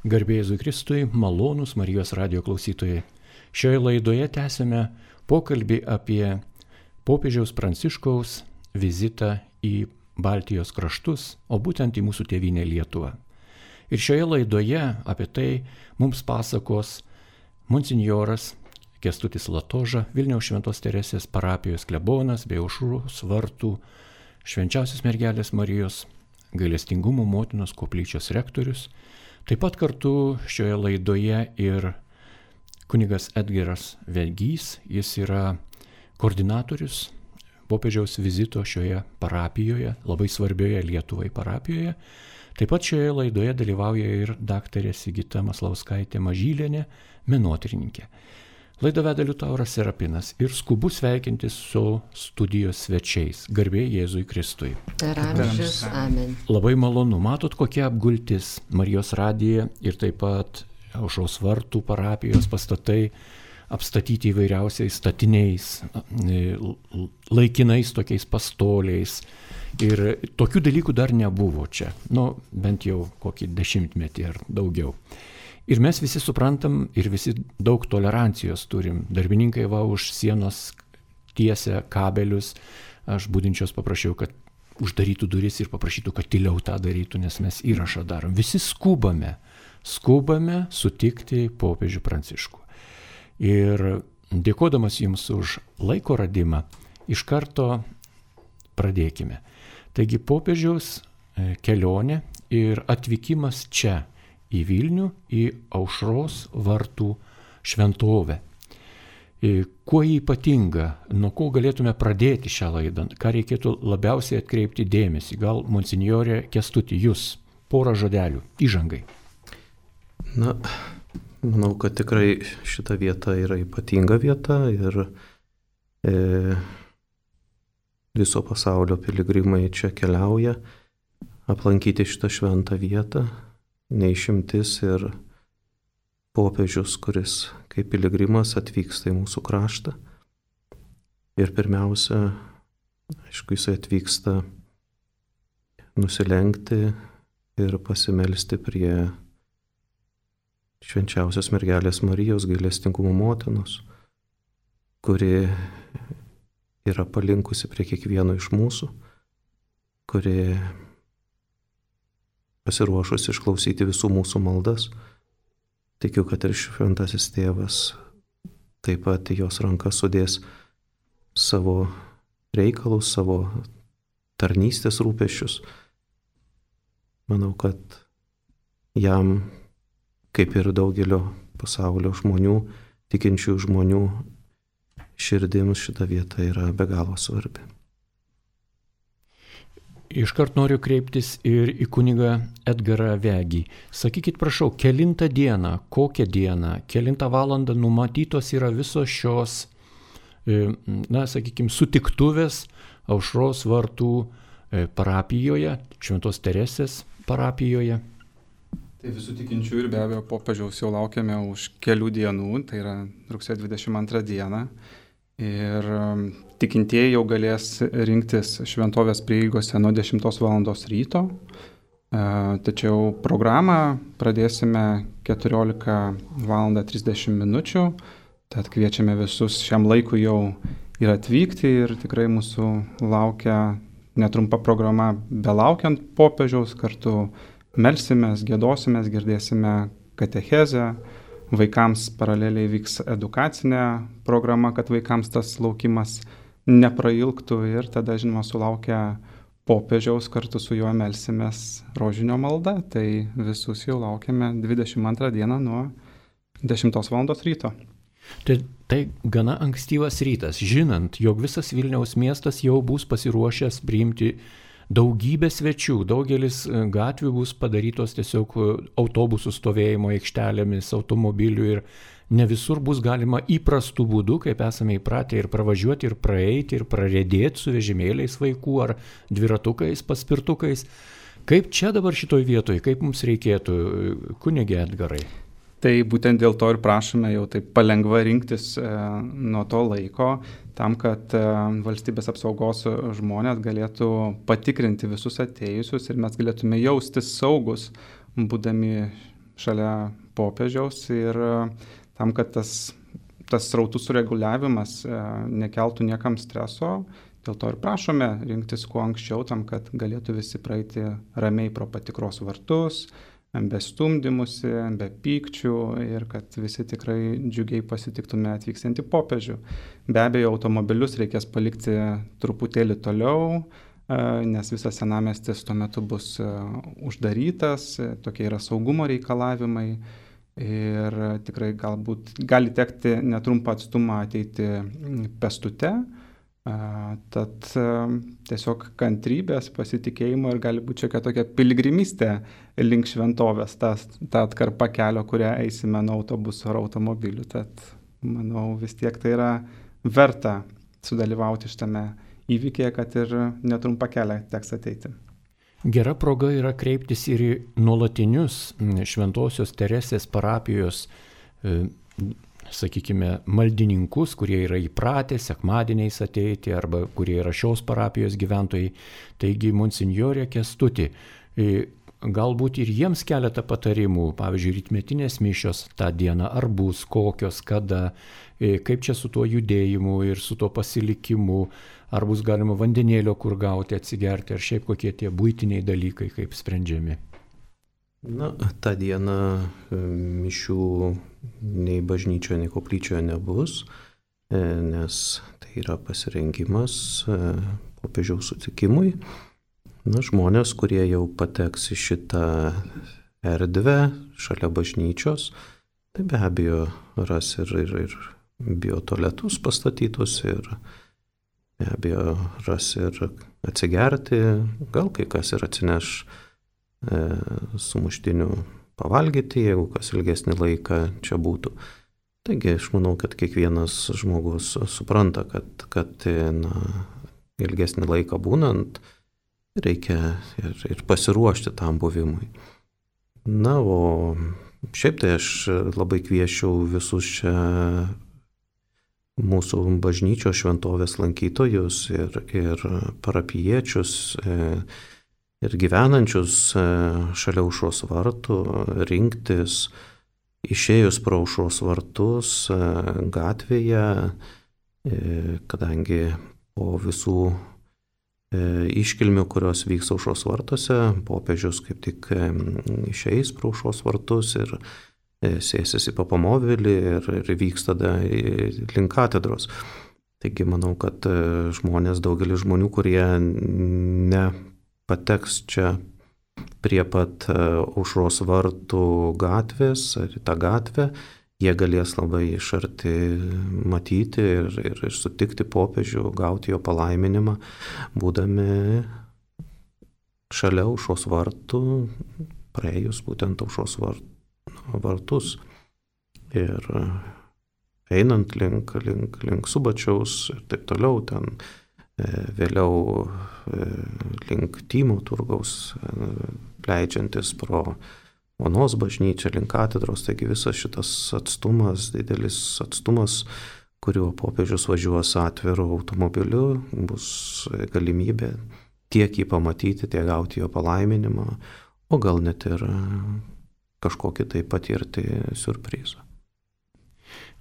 Garbė Jėzui Kristui, malonūs Marijos radijo klausytojai. Šioje laidoje tęsime pokalbį apie popiežiaus Pranciškaus vizitą į Baltijos kraštus, o būtent į mūsų tėvynę Lietuvą. Ir šioje laidoje apie tai mums pasakos monsinjoras Kęstutis Latoža, Vilniaus Šventos Teresės parapijos klebonas bei Aušros vartų Švenčiausios mergelės Marijos gailestingumo motinos koplyčios rektorius. Taip pat kartu šioje laidoje ir kunigas Edgaras Vegys, jis yra koordinatorius popiežiaus vizito šioje parapijoje, labai svarbioje Lietuvai parapijoje. Taip pat šioje laidoje dalyvauja ir daktarė Sigita Maslauskaitė Mažylienė, menotyrininkė. Laidą veda Liutauras Serapinas ir skubu sveikintis su studijos svečiais. Garbė Jėzui Kristui. Per amžius. Amen. Labai malonu. Matot, kokia apgultis Marijos radija ir taip pat Aušros vartų parapijos pastatai apstatyti įvairiausiais statiniais, laikinais tokiais pastoliais. Ir tokių dalykų dar nebuvo čia. Bent jau kokį 10 ar daugiau. Ir mes visi suprantam ir visi daug tolerancijos turim. Darbininkai už sienos tiesia kabelius. Aš budinčios paprašiau, kad uždarytų duris ir paprašytų, kad tyliau tą darytų, nes mes įrašą darom. Visi skubame sutikti popiežių Pranciškų. Ir dėkodamas jums už laiko radimą, iš karto pradėkime. Taigi popiežiaus kelionė ir atvykimas čia į Vilnių, į Aušros vartų šventovę. Kuo jį ypatinga, nuo ko galėtume pradėti šią laidą, ką reikėtų labiausiai atkreipti dėmesį, gal monsinjorė Kęstuti, jūs porą žodelių, įžangai. Manau, kad tikrai šita vieta yra ypatinga vieta ir viso pasaulio piligrimai čia keliauja aplankyti šitą šventą vietą. Neišimtis ir popiežius, kuris kaip piligrimas atvyksta į mūsų kraštą. Ir pirmiausia, aišku, jisai atvyksta nusilenkti ir pasimelsti prie Švenčiausios mergelės Marijos gailestingumo motinos, kuri yra palinkusi prie kiekvieno iš mūsų, kuri pasiruošus išklausyti visų mūsų maldas. Tikiu, kad ir šventasis tėvas taip pat į jos rankas sudės savo reikalus, savo tarnystės rūpesčius. Manau, kad jam, kaip ir daugelio pasaulio žmonių, tikinčių žmonių širdims šita vieta yra be galo svarbi. Iškart noriu kreiptis ir į kunigą Edgarą Vegį. Sakykit, prašau, kelintą dieną, kokią dieną, kelintą valandą numatytos yra visos šios, sutiktuvės Aušros vartų parapijoje, Šventos Teresės parapijoje? Tai visų tikinčių ir be abejo popiežiaus jau laukiame už kelių dienų, tai yra rugsėjo 22 dieną. Ir tikintieji jau galės rinktis šventovės prieigose nuo 10 val. Ryto. Tačiau programą pradėsime 14 val. 30 minučių. Tad kviečiame visus šiam laikui jau ir atvykti ir tikrai mūsų laukia netrumpa programa belaukiant popiežiaus, kartu melsimės, giedosimės, girdėsime katechezę. Vaikams paraleliai vyks edukacinė programa, kad vaikams tas laukimas neprailgtų ir tada, žinoma, sulaukia popiežiaus, kartu su juo melsimės rožinio malda. Tai visus jau laukiame 22 dieną nuo 10 val. Ryto. Tai gana ankstyvas rytas, žinant, jog visas Vilniaus miestas jau bus pasiruošęs priimti daugybė svečių, daugelis gatvių bus padarytos tiesiog autobusų stovėjimo aikštelėmis, automobilių ir ne visur bus galima įprastų būdų, kaip esame įpratę, ir pravažiuoti, ir praeiti, ir prarėdėti su vežimėliais vaikų ar dviratukais, paspirtukais. Kaip čia dabar šitoj vietoj, kaip mums reikėtų, kunige Edgarai? Tai būtent dėl to ir prašome jau taip palengva rinktis nuo to laiko, tam, kad valstybės apsaugos žmonės galėtų patikrinti visus atėjusius ir mes galėtume jaustis saugus, būdami šalia popiežiaus ir tam, kad tas srautų sureguliavimas nekeltų niekam streso, dėl to ir prašome rinktis kuo anksčiau, tam, kad galėtų visi praeiti ramiai pro patikros vartus, be stumdymusi, be pykčių ir kad visi tikrai džiugiai pasitiktume atvyksiantį popiežių. Be abejo, automobilius reikės palikti truputėlį toliau, nes visas senamiestis tuo metu bus uždarytas, tokie yra saugumo reikalavimai ir tikrai galbūt gali tekti netrumpą atstumą ateiti pėstute. Tad tiesiog kantrybės, pasitikėjimo ir gali būti šiokia tokia piligrimystė link šventovės, ta atkarpa kelio, kurią eisime nuo autobuso ar automobilių. Tad manau vis tiek tai yra verta sudalyvauti šitame įvykėje, kad ir netrumpą kelią teks ateiti. Gera proga yra kreiptis ir į nuolatinius Šventosios Teresės parapijos sakykime, maldininkus, kurie yra įpratę sekmadieniais ateiti arba kurie yra šios parapijos gyventojai. Taigi, monsinjorė Kęstuti, galbūt ir jiems keletą patarimų, pavyzdžiui, rytmetinės mišios tą dieną, ar bus, kokios, kada, kaip čia su tuo judėjimu ir su tuo pasilikimu, ar bus galima vandenėlio kur gauti, atsigerti, ar šiaip kokie tie buitiniai dalykai, kaip sprendžiami. Na, tą dieną mišių nei bažnyčioje, nei koplyčioje nebus, nes tai yra pasirengimas popiežiaus sutikimui. Na, žmonės, kurie jau pateks į šitą erdvę šalia bažnyčios, tai be abejo ras ir biotualetus pastatytus ir be abejo ras ir atsigerti, gal kai kas ir atsineš sumuštinių pavalgyti, jeigu kas ilgesnį laiką čia būtų. Taigi aš manau, kad kiekvienas žmogus supranta, kad ilgesnį laiką būnant reikia ir pasiruošti tam buvimui. Na, o šiaip tai aš labai kviesčiau visus čia mūsų bažnyčios šventovės lankytojus ir parapijiečius ir gyvenančius šalia aušros vartų rinktis, išėjus pro aušros vartus gatvėje, kadangi po visų iškilmių, kurios vyks aušros vartuose, popiežius kaip tik išeis pro aušros vartus ir sėsis į papamobilį ir vyks tada link katedros. Taigi manau, kad daugelis žmonių, kurie pateks čia prie pat aušros vartų gatvės ar į tą gatvę, jie galės labai iš arti matyti ir sutikti popiežių, gauti jo palaiminimą, būdami šalia aušros vartų, praėjus būtent aušros vartus ir einant link Subačiaus ir taip toliau ten. Vėliau link Tymo turgaus, leidžiantis pro Onos bažnyčią link katedros, taigi visas šitas atstumas, didelis atstumas, kuriuo popiežius važiuos atviru automobiliu, bus galimybė tiek jį pamatyti, tiek gauti jo palaiminimą, o gal net ir kažkokį tai patirti siurprizą.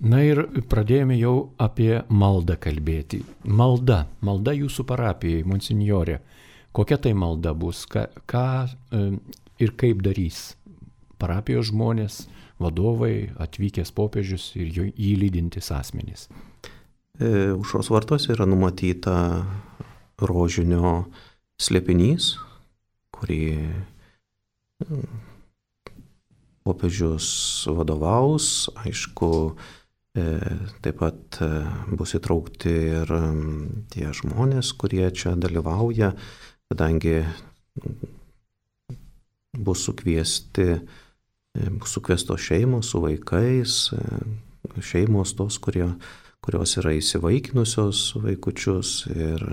Na ir pradėjome jau apie maldą kalbėti. Malda jūsų parapijai, monsinjorė. Kokia tai malda bus? Ką ir kaip darys parapijos žmonės, vadovai, atvykęs popiežius ir jį lydintys asmenys? Aušros vartuose yra numatyta rožinio slėpinys, kurį popiežius vadovaus, aišku, taip pat bus įtraukti ir tie žmonės, kurie čia dalyvauja, kadangi bus sukviestos šeimos su vaikais, šeimos tos, kurios yra įsivaikinusios vaikučius ir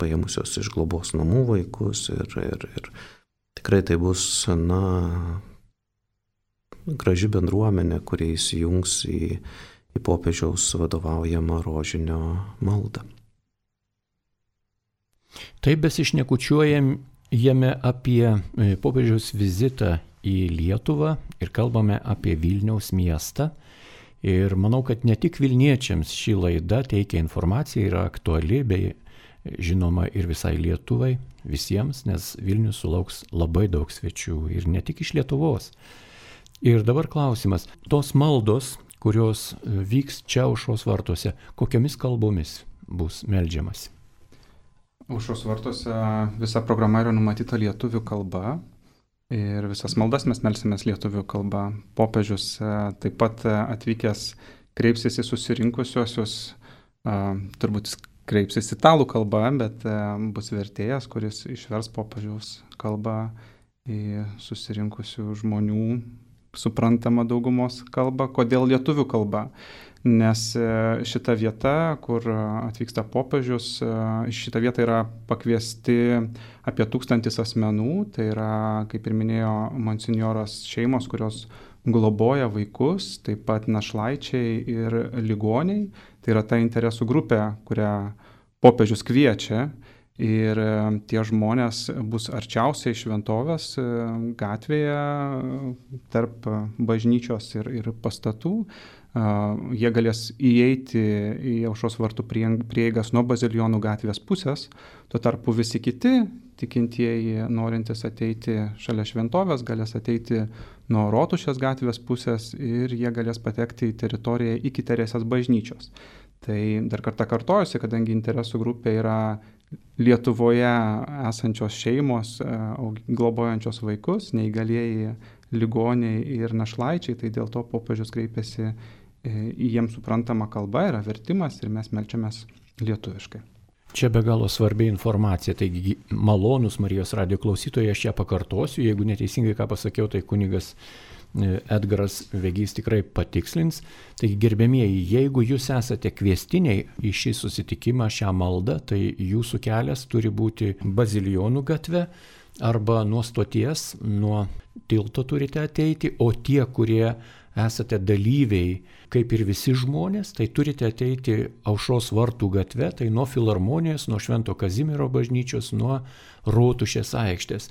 paėmusios iš globos namų vaikus ir tikrai tai bus, graži bendruomenė, kurie įsijungs į popiežiaus vadovaujamą rožinio maldą. Taip besišnekučiuojam jame apie popiežiaus vizitą į Lietuvą ir kalbame apie Vilniaus miestą. Ir manau, kad ne tik vilniečiams ši laida teikia informaciją, yra aktuali, bei žinoma ir visai Lietuvai, visiems, nes Vilnius sulauks labai daug svečių ir ne tik iš Lietuvos. Ir dabar klausimas, tos maldos, kurios vyks čia Aušros vartuose, kokiamis kalbomis bus meldžiamasi? Aušros vartuose visa programa yra numatyta lietuvių kalba. Ir visas maldas mes melsimės lietuvių kalba. Popiežius taip pat atvykęs kreipsis į susirinkusiosius, turbūt kreipsis italų kalba, bet bus vertėjas, kuris išvers popiežiaus kalbą į susirinkusių žmonių suprantamą daugumos kalbą. Kodėl lietuvių kalba? Nes šita vieta, kur atvyksta popiežius, šita vieta yra pakviesti apie 1000 asmenų, tai yra, kaip ir minėjo monsinjoras, šeimos, kurios globoja vaikus, taip pat našlaičiai ir ligoniai. Tai yra ta interesų grupė, kurią popiežius kviečia. Ir tie žmonės bus arčiausiai šventovės gatvėje tarp bažnyčios ir pastatų. Jie galės įeiti į Aušros vartų prieigas nuo Bazilijonų gatvės pusės. Tuo tarpu visi kiti tikintieji, norintys ateiti šalia šventovės, galės ateiti nuo Rotušės gatvės pusės ir jie galės patekti į teritoriją iki Teresės bažnyčios. Tai dar kartą kartojusi, kadangi interesų grupė yra Lietuvoje esančios šeimos, globojančios vaikus, neįgalieji ligoniai ir našlaičiai, tai dėl to popiežius kreipėsi į jiems suprantamą kalbą, yra vertimas ir mes melčiamės lietuviškai. Čia be galo svarbi informacija, taigi malonus Marijos radijo klausytojai, aš ją pakartosiu, jeigu neteisingai ką pasakiau, tai kunigas Edgaras Vegys tikrai patikslins. Taigi gerbiamieji, jeigu jūs esate kviestiniai į šį susitikimą, šią maldą, tai jūsų kelias turi būti Bazilijonų gatve arba nuo stoties, nuo tilto turite ateiti, o tie, kurie esate dalyviai, kaip ir visi žmonės, tai turite ateiti Aušros vartų gatve, tai nuo Filharmonijos, nuo Švento Kazimiero bažnyčios, nuo Rotušės aikštės.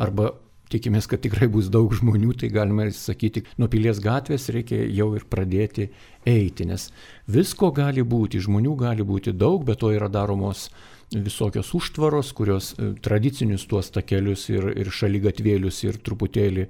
Arba tikimės, kad tikrai bus daug žmonių, tai galima sakyti, nuo Pilies gatvės reikia jau ir pradėti eiti, nes visko gali būti, žmonių gali būti daug, bet to yra daromos visokios užtvaros, kurios tradicinius tuos takelius ir šaligatvėlius ir truputėlį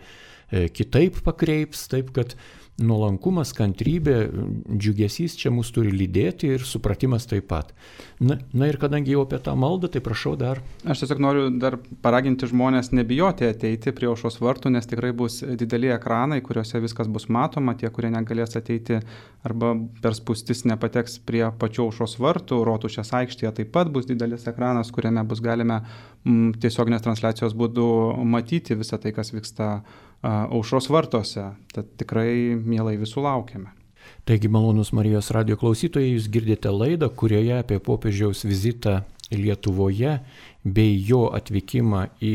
kitaip pakreips, taip kad nuolankumas, kantrybė, džiugesys čia mus turi lydėti ir supratimas taip pat. Na ir kadangi jau apie tą maldą, tai prašau dar. Aš tiesiog noriu dar paraginti žmonės nebijoti ateiti prie Aušros vartų, nes tikrai bus dideli ekranai, kuriuose viskas bus matoma. Tie, kurie negalės ateiti arba per spūstis nepateks prie pačių Aušros vartų, Rotušės aikštėje taip pat bus didelis ekranas, kuriame bus galime tiesioginės transliacijos būdu matyti visą tai, kas vyksta Aušros vartuose. Tad tikrai mielai visų laukiame. Taigi, malonus Marijos radijo klausytojai, jūs girdite laidą, kurioje apie popiežiaus vizitą Lietuvoje bei jo atvykimą į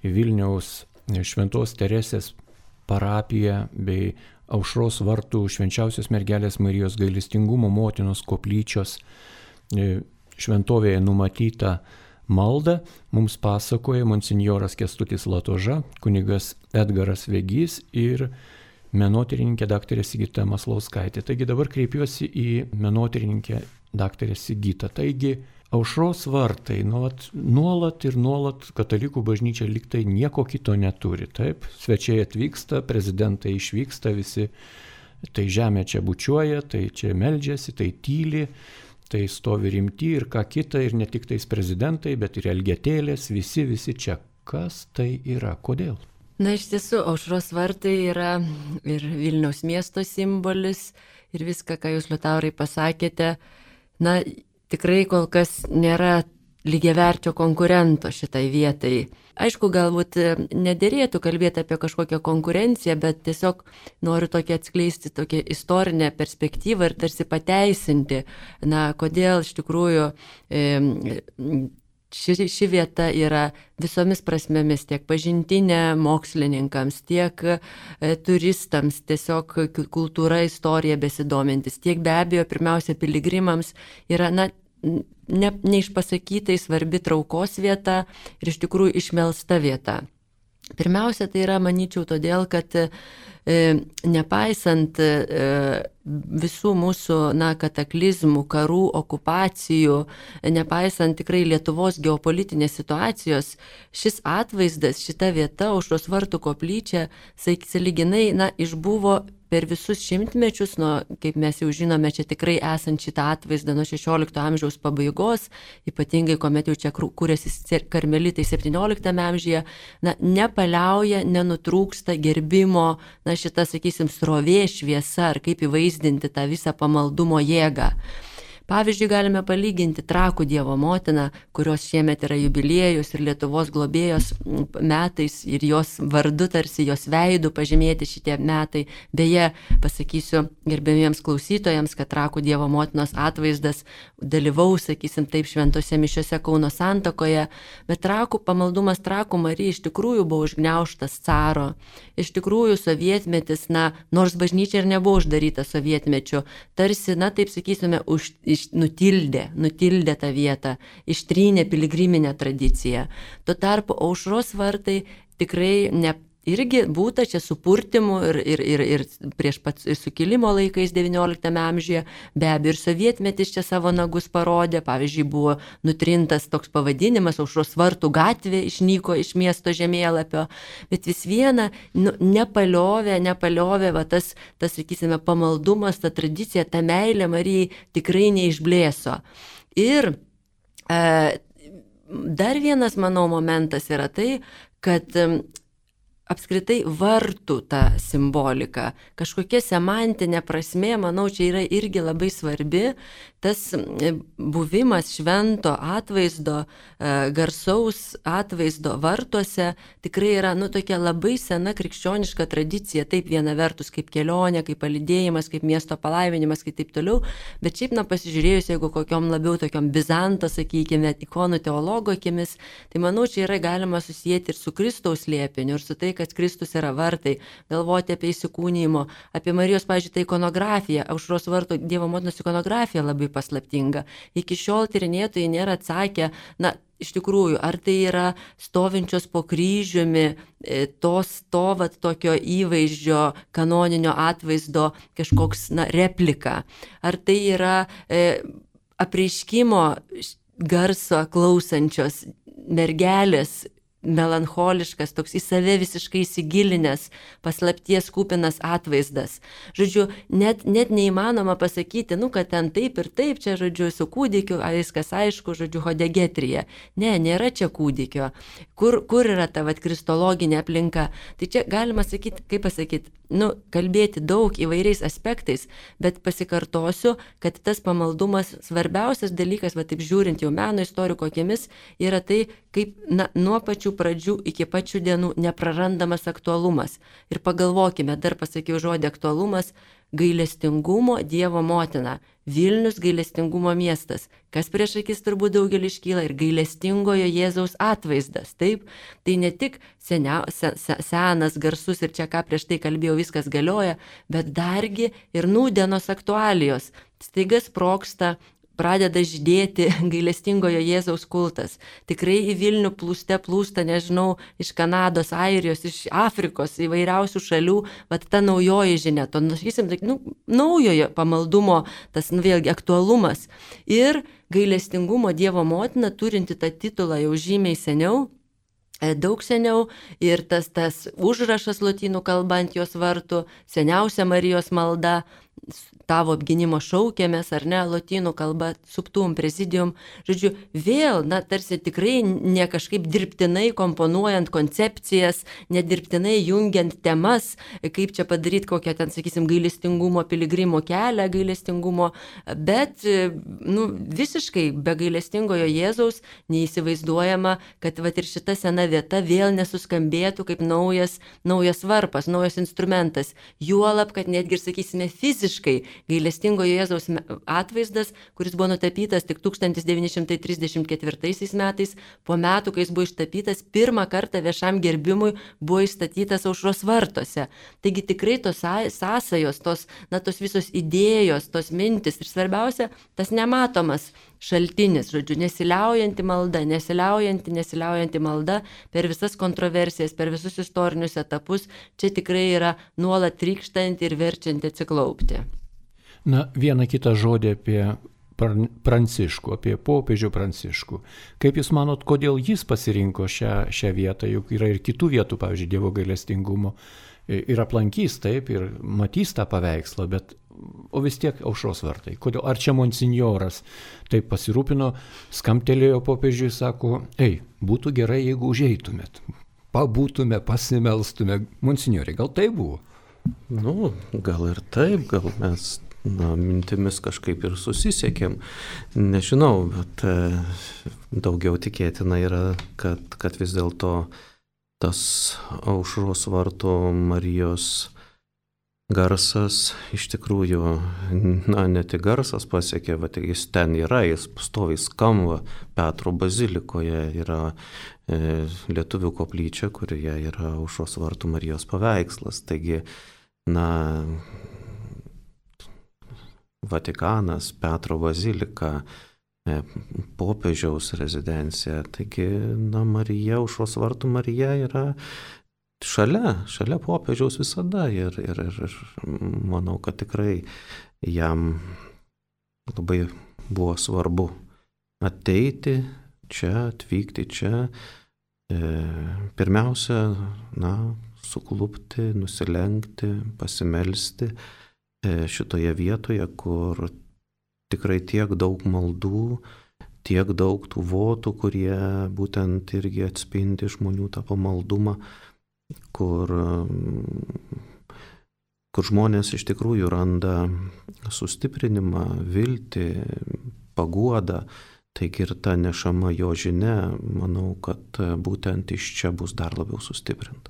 Vilniaus Šventos Teresės parapiją bei Aušros vartų Švenčiausios mergelės Marijos gailestingumo motinos koplyčios šventovėje numatytą maldą mums pasakoja monsinjoras Kęstutis Latoža, kunigas Edgaras Vegys ir menotyrininkė daktarė Sigita Maslauskaitė. Taigi dabar kreipiuosi į menotyrininkę daktarę Sigitą. Taigi Aušros vartai nuolat katalikų bažnyčia liktai nieko kito neturi. Taip, svečiai atvyksta, prezidentai išvyksta, visi tai žemė čia bučiuoja, tai čia meldžiasi, tai tyli. Tai stovi rimti ir ką kita, ir ne tik tais prezidentai, bet ir elgetėlės, visi čia. Kas tai yra? Kodėl? Na, iš tiesų, Aušros vartai yra ir Vilniaus miesto simbolis ir viską, ką jūs, Liutaurai, pasakėte, na, tikrai kol kas nėra lygiaverčio konkurento šitai vietai. Aišku, galbūt nederėtų kalbėti apie kažkokią konkurenciją, bet tiesiog noriu tokią atskleisti tokią istorinę perspektyvą ir tarsi pateisinti, na, kodėl iš tikrųjų ši vieta yra visomis prasmėmis, tiek pažintinė mokslininkams, tiek turistams, tiesiog kultūra, istorija besidomintis, tiek be abejo, pirmiausia, piligrimams yra, na, neišpasakytai svarbi traukos vieta ir iš tikrųjų išmelsta vieta. Pirmiausia, tai yra, manyčiau, todėl, kad nepaisant visų mūsų kataklizmų, karų, okupacijų, nepaisant tikrai Lietuvos geopolitinės situacijos, šis atvaizdas, šita vieta, Aušros vartų koplyčia, sąlyginai išbuvo per visus šimtmečius, kaip mes jau žinome, čia tikrai esant šitą atvaizdą nuo 16 amžiaus pabaigos, ypatingai kuomet jau čia kūrėsi karmelitai 17 amžiuje, nepaliauja, nenutrūksta gerbimo, šita, sakysim, srovė, šviesa, ar kaip įvaizdinti tą visą pamaldumo jėgą. Pavyzdžiui, galime palyginti Trakų Dievo motiną, kurios šiemet yra jubiliejus ir Lietuvos globėjos metais ir jos vardu, tarsi jos veidų pažymėti šitie metai. Beje, pasakysiu gerbėmiems klausytojams, kad Trakų Dievo motinos atvaizdas dalyvaus, sakysim taip, šventose mišiose Kauno Santakoje, bet pamaldumas Trakų Marijai iš tikrųjų buvo užgniaužtas caro. Iš tikrųjų, sovietmetis, nors bažnyčia ir nebuvo uždaryta sovietmečiu, tarsi, taip sakysime, nutildė tą vietą, ištrynė piligriminę tradiciją. Tuo tarpu Aušros vartai tikrai irgi būta čia supurtimų ir prieš pat sukilimo laikais 19 amžiuje, be abejo ir sovietmetis čia savo nagus parodė, pavyzdžiui, buvo nutrintas toks pavadinimas, Aušros vartų gatvė išnyko iš miesto žemėlapio, bet vis viena nepaliovė tas, sakysime, pamaldumas, ta tradicija, ta meilė Marijai tikrai neišblėso. Ir dar vienas, manau, momentas yra tai, kad apskritai vartų ta simbolika, kažkokia semantinė prasmė, manau, čia yra irgi labai svarbi, tas buvimas švento atvaizdo, garsaus atvaizdo vartuose tikrai yra, tokia labai sena krikščioniška tradicija, taip viena vertus kaip kelionė, kaip palydėjimas, kaip miesto palaiminimas, kaip taip toliau, bet šiaip, pasižiūrėjus, jeigu kokiom labiau tokiom Bizanto, sakykime, ikonų teologo akimis, tai manau, čia yra galima susijęti ir su Kristaus slėpiniu, ir su tai, kad Kristus yra vartai, galvoti apie įsikūnijimo, apie Marijos, pavyzdžiui, tai ikonografiją, Aušros vartų Dievo motinos ikonografija labai paslaptinga. Iki šiol tyrinėtojai nėra atsakę, iš tikrųjų, ar tai yra stovinčios po kryžiumi, tokio įvaizdžio, kanoninio atvaizdo kažkoks, replika, ar tai yra apreiškimo garso klausančios mergelės, melancholiškas, toks į save visiškai įsigilinęs, paslapties kupinas atvaizdas. Žodžiu, net neįmanoma pasakyti, kad ten taip ir taip, čia, žodžiu, su kūdikiu, viskas aišku, žodžiu, hodegetrija. Ne, nėra čia kūdikio. Kur yra ta kristologinė aplinka? Tai čia galima sakyti, kaip pasakyti, kalbėti daug įvairiais aspektais, bet pasikartosiu, kad tas pamaldumas, svarbiausias dalykas, taip žiūrint jau meno istoriko akimis, yra tai, kaip nuo pačių pradžių iki pačių dienų neprarandamas aktualumas. Ir pagalvokime, dar pasakiau žodį aktualumas, gailestingumo Dievo motina, Vilnius gailestingumo miestas. Kas prieš akis turbūt daugelį iškyla ir gailestingojo Jėzaus atvaizdas. Taip, tai ne tik senas, garsus ir čia ką prieš tai kalbėjau, viskas galioja, bet dargi ir nūdienos aktualijos. Staiga sprogsta, pradeda žydėti gailestingojo Jėzaus kultas. Tikrai į Vilnių plūsta, nežinau, iš Kanados, Airijos, iš Afrikos, įvairiausių šalių, ta naujoji žinia, to, naujojo pamaldumo, tas, vėlgi, aktualumas. Ir gailestingumo Dievo motina, turinti tą titulą jau žymiai seniau, daug seniau, ir tas užrašas lotynų kalba ant jos vartų, seniausia Marijos malda, tavo apginimo šaukėmės, ar ne, lotynų kalba, subtum, prezidium. Žodžiu, vėl, tarsi tikrai ne kažkaip dirbtinai komponuojant koncepcijas, nedirbtinai jungiant temas, kaip čia padaryti kokią ten, sakysim, gailestingumo piligrimo kelią, gailestingumo, bet, visiškai be gailestingojo Jėzaus neįsivaizduojama, kad ir šita sena vieta vėl nesuskambėtų kaip naujas varpas, naujas instrumentas. Juolab, kad netgi, sakysime, fiziškai gailestingojo Jėzaus atvaizdas, kuris buvo nutapytas tik 1934 metais, po metų, kai jis buvo ištapytas, pirmą kartą viešam gerbimui buvo įstatytas Aušros vartuose. Taigi tikrai tos sąsajos, tos visos idėjos, tos mintis ir svarbiausia, tas nematomas šaltinis, žodžiu, nesiliaujanti malda per visas kontroversijas, per visus istorinius etapus, čia tikrai yra nuolat trykštanti ir verčianti atsiklaupti. Na, vieną kitą žodį apie Pranciškų, apie popiežių Pranciškų. Kaip Jūs manot, kodėl jis pasirinko šią vietą, juk yra ir kitų vietų, pavyzdžiui, Dievo gailestingumo, ir aplankys taip, ir matys tą paveikslą, o vis tiek Aušros vartai. Kodėl? Ar čia monsinjoras taip pasirūpino, skambtelėjo popiežiui, sako, būtų gerai, jeigu užeitumėt, pabūtume, pasimelstume. Monsinjorė, gal tai buvo? Nu, gal ir taip, gal mes mintimis kažkaip ir susisiekėm, nežinau, bet daugiau tikėtina yra, kad vis dėlto tas Aušros vartų Marijos garsas iš tikrųjų, ne tik garsas pasiekė, bet jis ten yra, jis pastoviai skamba. Petro bazilikoje yra lietuvių koplyčia, kurioje yra Aušros vartų Marijos paveikslas. Taigi, Vatikanas, Petro bazilika, popiežiaus rezidencija. Taigi, Marija, Aušros vartų Marija yra šalia popiežiaus visada ir manau, kad tikrai jam labai buvo svarbu ateiti čia, atvykti čia, pirmiausia, suklupti, nusilenkti, pasimelsti šitoje vietoje, kur tikrai tiek daug maldų, tiek daug tų votų, kurie būtent irgi atspindi žmonių tą pamaldumą, kur žmonės iš tikrųjų randa sustiprinimą, viltį, paguodą. Taigi ir ta nešama jo žinia, manau, kad būtent iš čia bus dar labiau sustiprinta.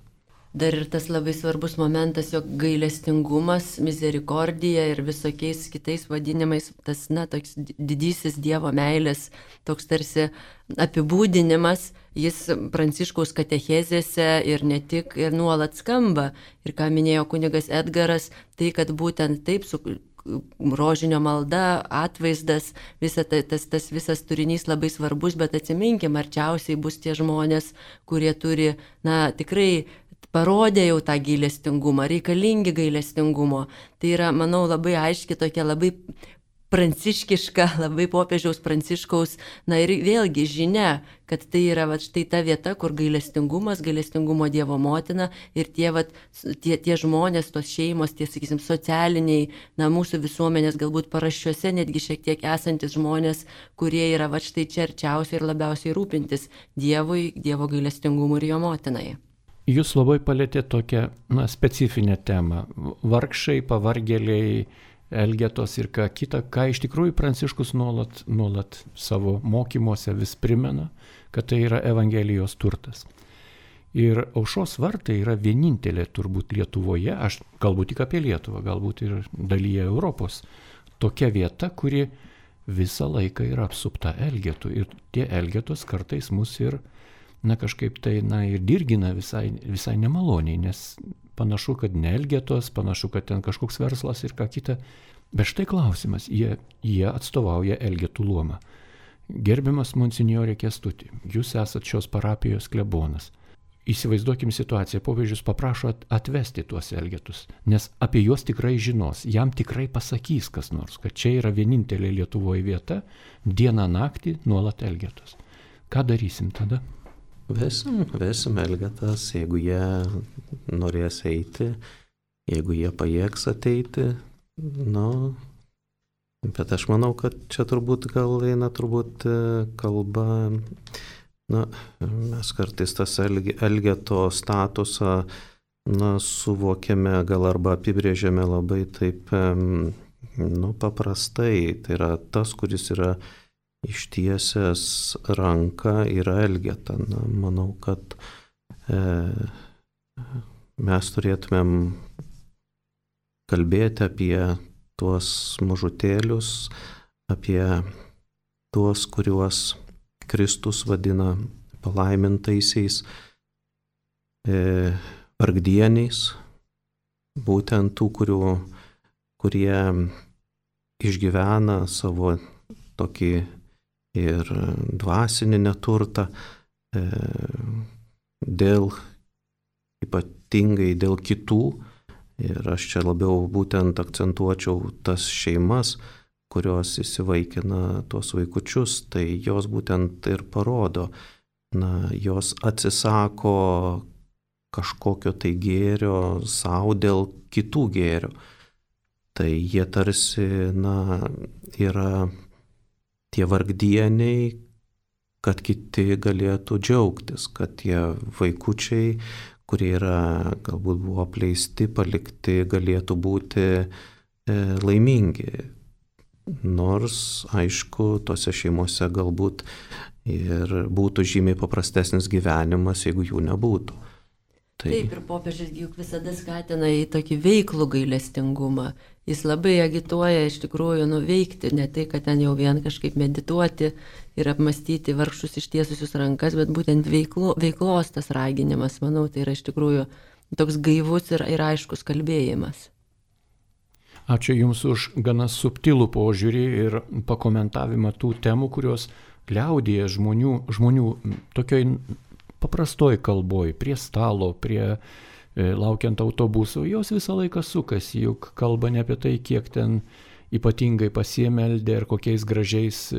Dar ir tas labai svarbus momentas, jog gailestingumas, misericordija ir visokiais kitais vadinimais, tas, toks didysis Dievo meilės, toks tarsi apibūdinimas, jis Pranciškaus katechezėse ir ne tik, ir nuolat skamba. Ir ką minėjo kunigas Edgaras, tai kad būtent taip su rožinio malda, atvaizdas, tas visas turinys labai svarbus, bet atsiminkim, arčiausiai bus tie žmonės, kurie turi, tikrai parodė jau tą gailestingumą, reikalingi gailestingumo. Tai yra, manau, labai aiški tokia, labai pranciškiška, labai popiežiaus Pranciškaus, ir vėlgi žinia, kad tai yra štai ta vieta, kur gailestingumas, gailestingumo Dievo motina ir tie žmonės, tos šeimos, tie, sakysim, socialiniai, mūsų visuomenės galbūt paraščiuose netgi šiek tiek esantis žmonės, kurie yra štai čia arčiausiai ir labiausiai rūpintis Dievui, Dievo gailestingumu ir jo motinai. Jūs labai palėtė tokią specifinę temą. Vargšai, pavargėliai, elgetos ir ką kita, ką iš tikrųjų Pranciškus nuolat savo mokymuose vis primena, kad tai yra Evangelijos turtas. Ir Aušros vartai yra vienintelė turbūt Lietuvoje, aš kalbu tik apie Lietuvą, galbūt ir dalyje Europos, tokia vieta, kuri visą laiką yra apsupta elgetų. Ir tie elgetos kartais mus ir kažkaip tai ir dirgina visai nemaloniai, nes panašu, kad ne elgetos, panašu, kad ten kažkoks verslas ir ką kita. Bet štai klausimas, jie atstovauja elgetų luomą. Gerbiamas monsinjorė Kęstuti, jūs esat šios parapijos klebonas. Įsivaizduokim situaciją, popiežius paprašo atvesti tuos elgetus, nes apie juos tikrai žinos, jam tikrai pasakys kas nors, kad čia yra vienintelė Lietuvoje vieta, dieną naktį nuolat elgetos. Ką darysim tada? Vesim elgetas, jeigu jie norės eiti, jeigu jie pajėgs ateiti, bet aš manau, kad čia turbūt eina kalba, mes kartais tas elgeto statusą, suvokiame gal arba apibrėžiame labai taip, paprastai, tai yra tas, kuris yra ištiesęs ranką yra elgeta. Manau, kad mes turėtumėm kalbėti apie tuos mažutėlius, apie tuos, kuriuos Kristus vadina palaimintaisiais, vargdieniais, būtent tų, kurie išgyvena savo tokį ir dvasinį neturtą, ypatingai dėl kitų. Ir aš čia labiau būtent akcentuočiau tas šeimas, kurios įsivaikina tuos vaikučius, tai jos būtent ir parodo, jos atsisako kažkokio tai gėrio savo dėl kitų gėrių. Tai jie tarsi, yra tie vargdieniai, kad kiti galėtų džiaugtis, kad tie vaikučiai, kurie galbūt buvo apleisti, palikti, galėtų būti laimingi. Nors, aišku, tose šeimose galbūt ir būtų žymiai paprastesnis gyvenimas, jeigu jų nebūtų. Taip, ir popiežius juk visada skatina į tokį veiklų gailestingumą. Jis labai agituoja iš tikrųjų nuveikti, ne tai, kad ten jau vien kažkaip medituoti ir apmastyti vargšus ištiesusius rankas, bet būtent veiklos tas raginimas, manau, tai yra iš tikrųjų toks gaivus ir aiškus kalbėjimas. Ačiū Jums už gana subtilų požiūrį ir pakomentavimą tų temų, kurios liaudyje žmonių tokioj paprastoj kalboj, prie stalo, laukiant autobuso, jos visą laiką sukasi, juk kalba ne apie tai, kiek ten ypatingai pasiemeldė ir kokiais gražiais,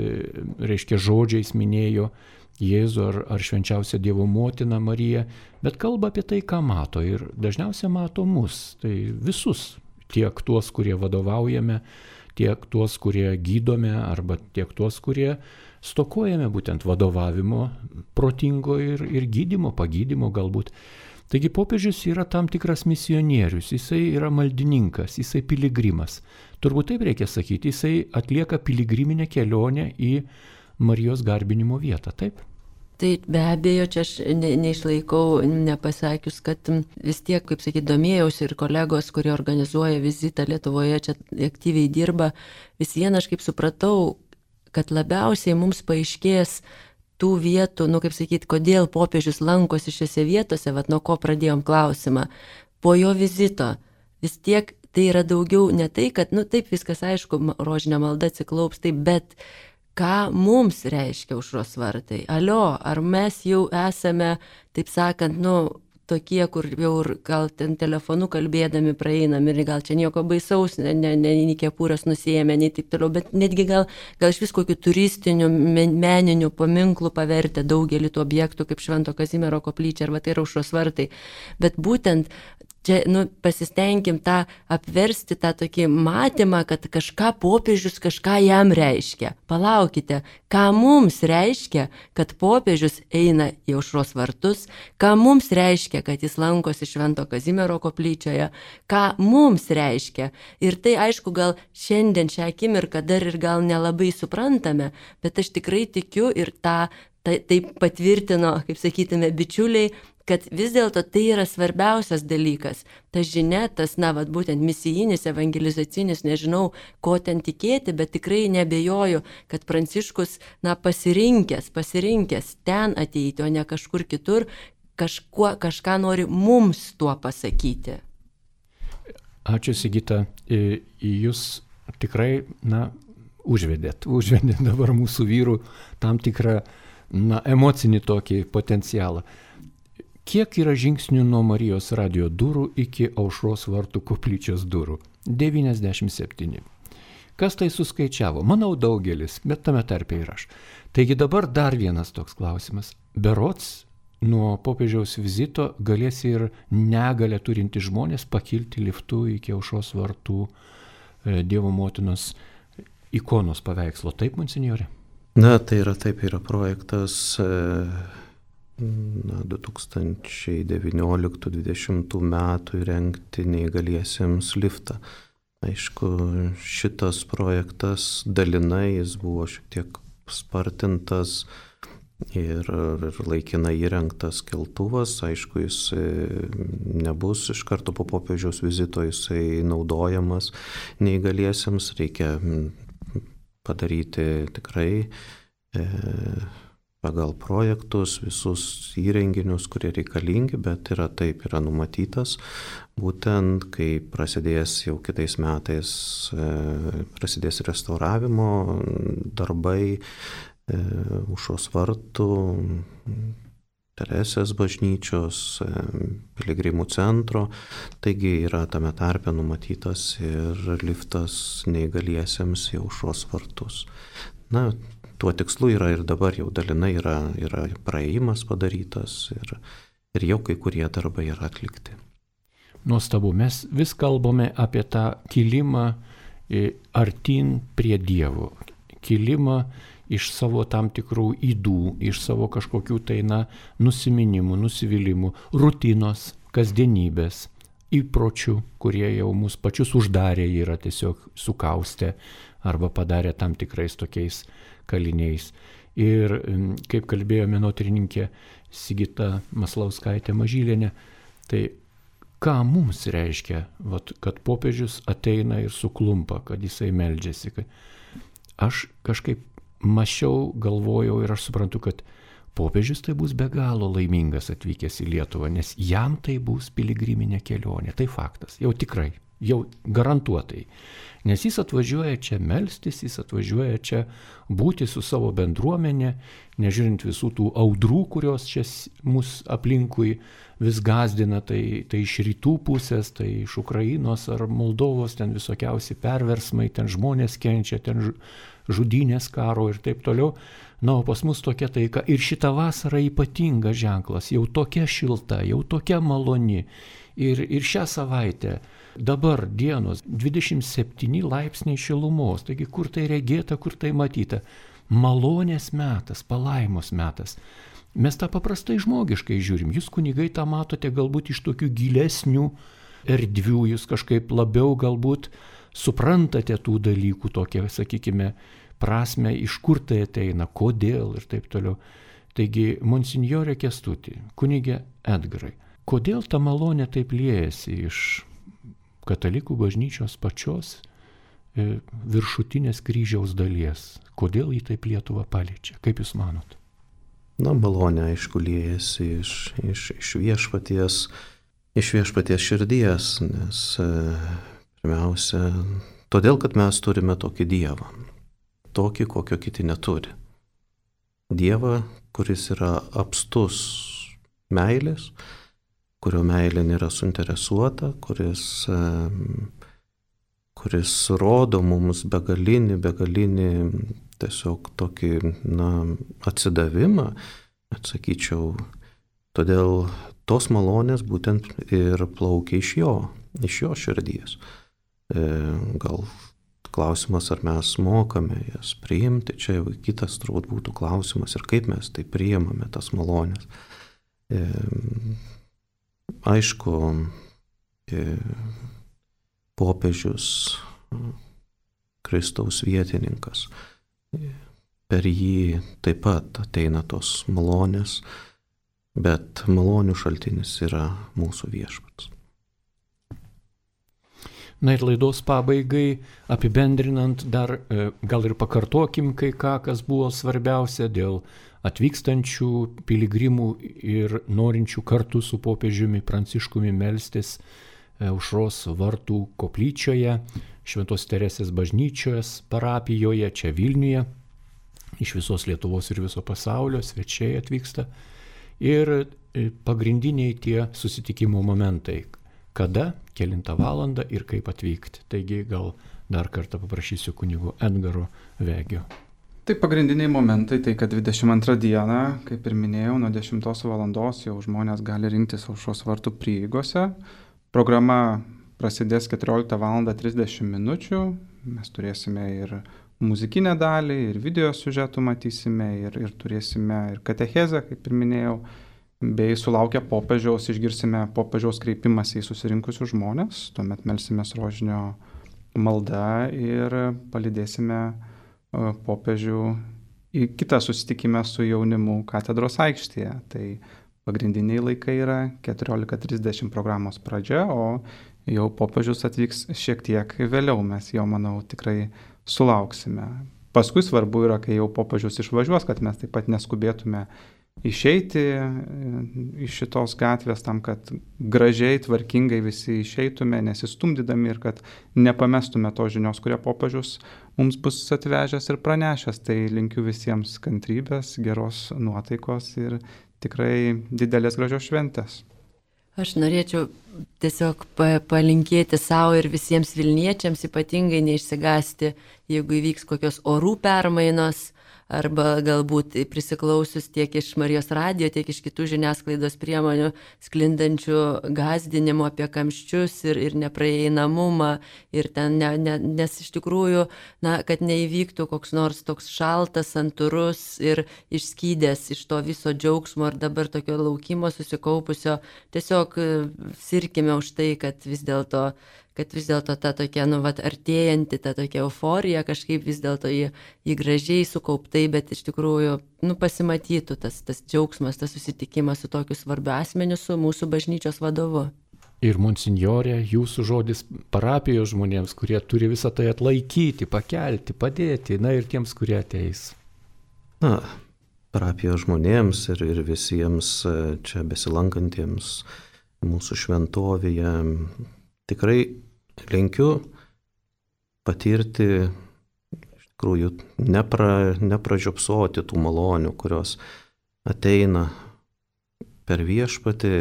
žodžiais minėjo Jėzų ar švenčiausią Dievo motiną Mariją, bet kalba apie tai, ką mato ir dažniausiai mato mus, tai visus, tiek tuos, kurie vadovaujame, tiek tuos, kurie gydome arba tiek tuos, kurie stokojame būtent vadovavimo protingo ir gydymo, pagydymo galbūt. Taigi popiežius yra tam tikras misionierius, jisai yra maldininkas, jisai piligrimas. Turbūt taip reikia sakyti, jisai atlieka piligriminę kelionę į Marijos garbinimo vietą, taip? Tai be abejo, čia aš neišlaikau nepasakius, kad vis tiek, kaip sakyti, domėjausi ir kolegos, kurie organizuoja vizitą Lietuvoje, čia aktyviai dirba, vis vieną aš kaip supratau, kad labiausiai mums paaiškės tų vietų, kaip sakyti, kodėl popiežius lankosi šiose vietose, nuo ko pradėjom klausimą, po jo vizito. Vis tiek tai yra daugiau ne tai, kad, taip viskas aišku, rožinė malda atsiklaups, taip, bet ką mums reiškia Aušros vartai? Alio, ar mes jau esame, taip sakant, tokie, kur jau gal ten telefonu kalbėdami praeinam ir gal čia nieko baisaus, nei kepurės nusiėmė, nei taip toliau, bet netgi gal iš vis kokių turistinių, meninių paminklų pavertę daugelį tų objektų, kaip Švento Kazimiero koplyčia, arba tai yra Aušros vartai. Bet būtent čia, pasistengim tą apversti tą tokį matymą, kad kažką popiežius, kažką jam reiškia. Palaukite, ką mums reiškia, kad popiežius eina į Aušros vartus, ką mums reiškia, kad jis lankosi Švento Kazimiero koplyčioje, ką mums reiškia. Ir tai, aišku, gal šiandien šią akimirką dar ir gal nelabai suprantame, bet aš tikrai tikiu ir tai patvirtino, kaip sakytume, bičiuliai, kad vis dėlto tai yra svarbiausias dalykas. Ta žinia, tas, būtent misijinis, evangelizacinis, nežinau, ko ten tikėti, bet tikrai nebejoju, kad Pranciškus, pasirinkęs ten ateiti, o ne kažkur kitur, kažką nori mums tuo pasakyti. Ačiū, Sigita. Jūs tikrai, užvedėt dabar mūsų vyrų tam tikrą, emocinį tokį potencialą. Kiek yra žingsnių nuo Marijos radijo durų iki Aušros vartų koplyčios durų? 97. Kas tai suskaičiavo? Manau daugelis, bet tame tarpe ir aš. Taigi dabar dar vienas toks klausimas. Berods nuo popiežiaus vizito galės ir negalę turinti žmonės pakilti liftu iki Aušros vartų Dievo motinos ikonos paveikslo. Taip, monsinjore? Tai yra projektas 2019-2020 metų įrengti neįgaliesiems liftą. Aišku, šitas projektas dalinai jis buvo šiek tiek spartintas ir laikinai įrengtas keltuvas. Aišku, jis nebus iš karto po popiežiaus vizito jisai naudojamas neįgaliesiems. Reikia padaryti tikrai pagal projektus, visus įrenginius, kurie reikalingi, bet yra numatytas. Būtent, kai prasidės jau kitais metais, prasidės restauravimo darbai, Aušros vartų, Teresės bažnyčios, piligrimų centro, taigi yra tame tarpe numatytas ir liftas neįgaliesiems į Aušros vartus. Na, tuo tikslu yra ir dabar jau dalinai yra praėjimas padarytas ir jau kai kurie darbai yra atlikti. Nuostabu, mes vis kalbame apie tą kilimą artin prie Dievo, kilimą iš savo tam tikrų ydų, iš savo kažkokių tai nusiminimų, nusivylimų, rutinos, kasdienybės, įpročių, kurie jau mus pačius uždarė, yra tiesiog sukaustę arba padarė tam tikrais tokiais kaliniais. Ir kaip kalbėjo menotyrininkė Sigita Maslauskaitė Mažylienė, tai ką mums reiškia, kad popiežius ateina ir suklumpa, kad jisai meldžiasi. Aš kažkaip mąsčiau, galvojau ir aš suprantu, kad popiežius tai bus be galo laimingas atvykęs į Lietuvą, nes jam tai bus piligriminė kelionė. Tai faktas, jau tikrai, jau garantuotai. Nes jis atvažiuoja čia melstis, jis atvažiuoja čia būti su savo bendruomenė, nežiūrint visų tų audrų, kurios čia mus aplinkui vis gazdina, tai iš rytų pusės, tai iš Ukrainos ar Moldovos, ten visokiausi perversmai, ten žmonės kenčia, ten žudynės karo ir taip toliau. Na, o pas mus tokia taika. Ir šita vasara ypatingas ženklas, jau tokia šilta, jau tokia maloni. Ir šią savaitę, dabar dienos 27 laipsniai šilumos, taigi kur tai regėta, kur tai matyta. Malonės metas, palaimos metas. Mes tą paprastai žmogiškai žiūrim. Jūs kunigai tą matote galbūt iš tokių gilesnių erdvių, jūs kažkaip labiau galbūt suprantate tų dalykų, tokie, sakykime, prasme, iš kur tai ateina, kodėl ir taip toliau. Taigi, monsinjorė Kęstuti, kunigė Edgarai, kodėl ta malonė taip liejasi iš katalikų bažnyčios pačios viršutinės kryžiaus dalies? Kodėl jį taip Lietuvą paliečia? Kaip jūs manot? Na, malonė, aišku, liejasi iš viešpaties širdies, nes pirmiausia, todėl, kad mes turime tokį Dievą, tokį, kokio kiti neturi. Dievą, kuris yra apstus meilės, kurio meilė nėra suinteresuota, kuris rodo mums begalinį tiesiog tokį, atsidavimą, atsakyčiau, todėl tos malonės būtent ir plaukia iš jo širdies. Gal klausimas, ar mes mokame jas priimti, čia jau kitas turbūt būtų klausimas ir kaip mes tai priimame tas malonės. Aišku, popiežius, Kristaus vietininkas, per jį taip pat ateina tos malonės, bet malonių šaltinis yra mūsų viešpats. Na ir laidos pabaigai, apibendrinant dar, gal ir pakartokim kai ką, kas buvo svarbiausia dėl atvykstančių piligrimų ir norinčių kartu su popiežiumi Pranciškumi melstis Aušros vartų koplyčioje, Šventos Teresės bažnyčios parapijoje, čia Vilniuje, iš visos Lietuvos ir viso pasaulio svečiai atvyksta. Ir pagrindiniai tie susitikimo momentai. Kada, kelintą valandą ir kaip atvykti. Taigi gal dar kartą paprašysiu kunigo Edgaro Vegio. Tai pagrindiniai momentai, tai kad 22 dieną, kaip ir minėjau, nuo 10 valandos jau žmonės gali rinktis Aušros vartų prieigose. Programa prasidės 14:30 min. Mes turėsime ir muzikinę dalį, ir video siužetų matysime, ir turėsime ir katechezę, kaip ir minėjau. Bei sulaukę popiežiaus išgirsime popiežiaus kreipimąsi į susirinkusius žmonės, tuomet melsimės rožinio maldą ir palydėsime popiežių į kitą susitikimą su jaunimu katedros aikštėje. Tai pagrindiniai laikai yra 14:30 programos pradžia, o jau popiežius atvyks šiek tiek vėliau, mes jo, manau, tikrai sulauksime. Paskui svarbu yra, kai jau popiežius išvažiuos, kad mes taip pat neskubėtume išeiti iš šitos gatvės tam, kad gražiai, tvarkingai visi išeitume, nesistumdydami ir kad nepamestume tos žinios, kurie popiežius mums bus atvežęs ir pranešęs. Tai linkiu visiems kantrybės, geros nuotaikos ir tikrai didelės gražios šventės. Aš norėčiau tiesiog palinkėti savo ir visiems Vilniečiams, ypatingai neišsigąsti, jeigu įvyks kokios orų permainos, arba galbūt prisiklausius tiek iš Marijos radijo, tiek iš kitų žiniasklaidos priemonių sklindančių gąsdinimų apie kamščius ir nepraeinamumą, ir ten, nes iš tikrųjų, kad neįvyktų koks nors toks šaltas, santūrus ir išskydęs iš to viso džiaugsmo ir dabar tokio laukimo susikaupusio, tiesiog sirkime už tai, kad vis dėlto ta tokia, artėjanti, ta tokia euforija kažkaip vis dėlto į gražiai sukauptai, bet iš tikrųjų, pasimatytų tas džiaugsmas, tas susitikimas su tokiu svarbiu asmeniu, su mūsų bažnyčios vadovu. Ir monsinjorė, jūsų žodis parapijos žmonėms, kurie turi visą tai atlaikyti, pakelti, padėti, ir tiems, kurie ateis. Parapijos žmonėms ir visiems čia besilankantiems mūsų šventovėje tikrai linkiu patirti, iš tikrųjų, nepražiopsoti tų malonių, kurios ateina per viešpatį,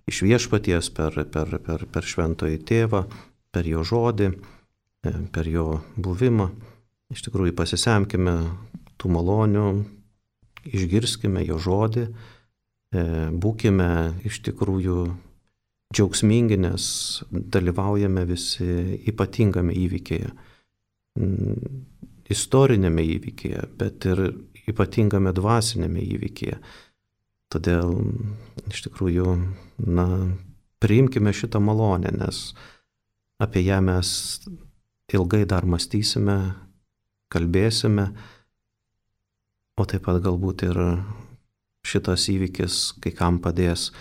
iš viešpaties, per šventąjį tėvą, per jo žodį, per jo buvimą. Iš tikrųjų, pasisemkime tų malonių, išgirskime jo žodį, būkime iš tikrųjų džiaugsmingi, nes dalyvaujame visi ypatingame įvykyje, istorinėme įvykyje, bet ir ypatingame dvasinėme įvykyje. Todėl iš tikrųjų, priimkime šitą malonę, nes apie ją mes ilgai dar mąstysime, kalbėsime, o taip pat galbūt ir šitas įvykis kai kam padės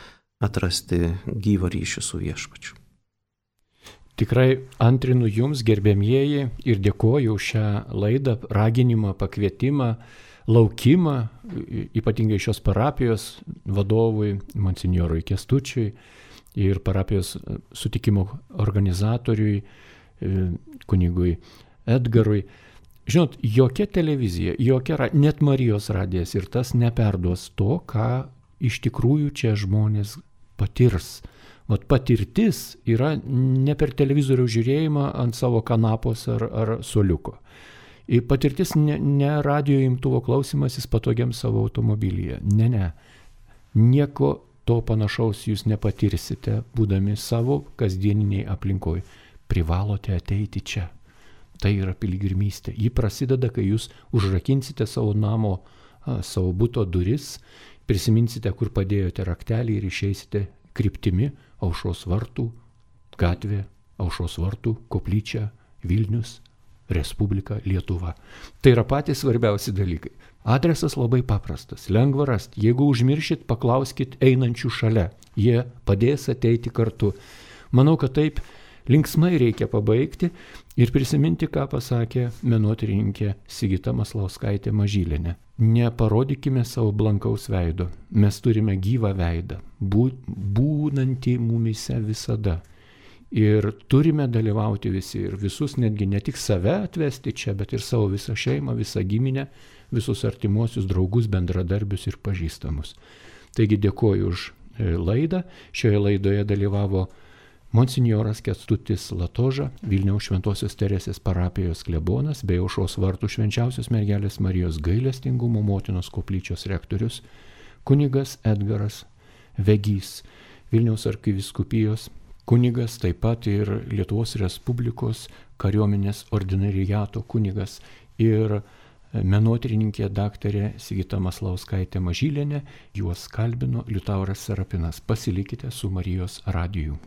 atrasti gyvą ryšį su viešpačiu. Tikrai antrinu jums, gerbėmieji, ir dėkoju už šią laidą, raginimą, pakvietimą, laukimą, ypatingai šios parapijos vadovui, monsinjorui Kęstučiui ir parapijos sutikimo organizatoriui, kunigui Edgarui. Žinot, jokia televizija, net Marijos radijas ir tas neperduos to, ką iš tikrųjų čia žmonės patirs. Patirtis yra ne per televizorių žiūrėjimą ant savo kanapos ar suoliuko. Ir patirtis ne radio imtuvo klausimasis patogiam savo automobilyje. Ne. Nieko to panašaus jūs nepatirsite, būdami savo kasdieniniai aplinkoj. Privalote ateiti čia. Tai yra piligrimystė. Ji prasideda, kai jūs užrakinsite savo namo, savo buto duris, prisiminsite, kur padėjote raktelį ir išeisite kryptimi Aušros vartų gatvė, Aušros vartų koplyčia, Vilnius, Respublika, Lietuva. Tai yra patys svarbiausi dalykai. Adresas labai paprastas, lengva rasti. Jeigu užmiršit, paklauskit einančių šalia. Jie padės ateiti kartu. Manau, kad taip linksmai reikia pabaigti ir prisiminti, ką pasakė menotyrininkė Sigita Maslauskaitė Mažylienė. Neparodykime savo blankaus veido. Mes turime gyvą veidą, būnantį mumyse visada. Ir turime dalyvauti visi ir visus, netgi ne tik save atvesti čia, bet ir savo visą šeimą, visą giminę, visus artimuosius draugus, bendradarbius ir pažįstamus. Taigi dėkoju už laidą. Šioje laidoje dalyvavo monsinjoras Kęstutis Latoža, Vilniaus Šventosios Teresės parapijos klebonas bei Aušros vartų Švenčiausios mergelės Marijos gailestingumo motinos koplyčios rektorius, kunigas Edgaras Vegys, Vilniaus arkivyskupijos kunigas, taip pat ir Lietuvos Respublikos kariuomenės ordinariato kunigas ir menotyrininkė daktarė Sigita Maslauskaitė Mažylienė. Juos kalbino Liutauras Serapinas. Pasilikite su Marijos radiju.